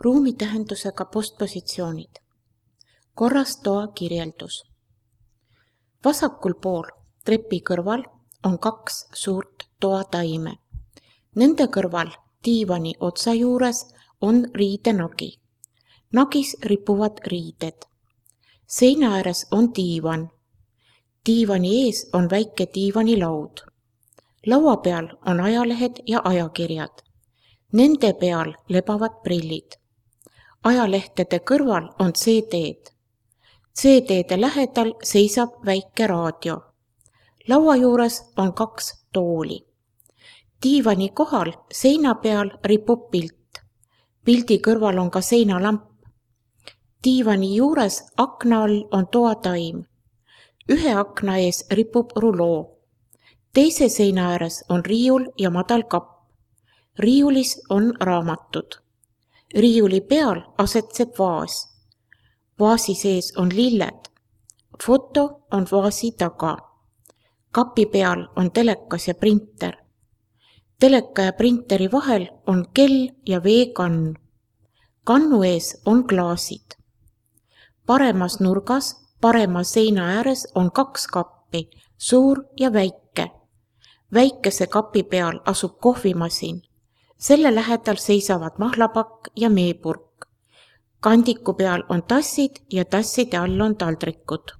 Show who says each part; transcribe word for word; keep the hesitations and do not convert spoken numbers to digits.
Speaker 1: ruumitähendusega postpositsioonid. Korras toa kirjeldus. Vasakul pool trepi kõrval on kaks suurt toataime. Nende kõrval diivani otsa juures on riidenagi. Nagis ripuvad riided. Seina ääres on diivan. Diivani ees on väike diivanilaud. Laua peal on ajalehed ja ajakirjad. Nende peal lebavad prillid. Ajalehtede kõrval on C D-d. C D-de lähedal seisab väike raadio. Laua juures on kaks tooli. Diivani kohal seina peal ripub pilt. Pildi kõrval on ka seinalamp. Diivani juures akna all on toataim. Ühe akna ees ripub ruloo. Teise seina ääres on riiul ja madal kapp. Riiulis on raamatud. Riiuli peal asetseb vaas. Vaasi sees on lilled. Foto on vaasi taga. Kapi peal on telekas ja printer. Teleka ja printeri vahel on kell ja veekann. Kannu ees on klaasid. Paremas nurgas, parema seina ääres on kaks kappi, suur ja väike. Väikese kapi peal asub kohvimasin. Selle lähedal seisavad mahlapakk ja meepurk. Kandiku peal on tassid ja tasside all on taldrikud.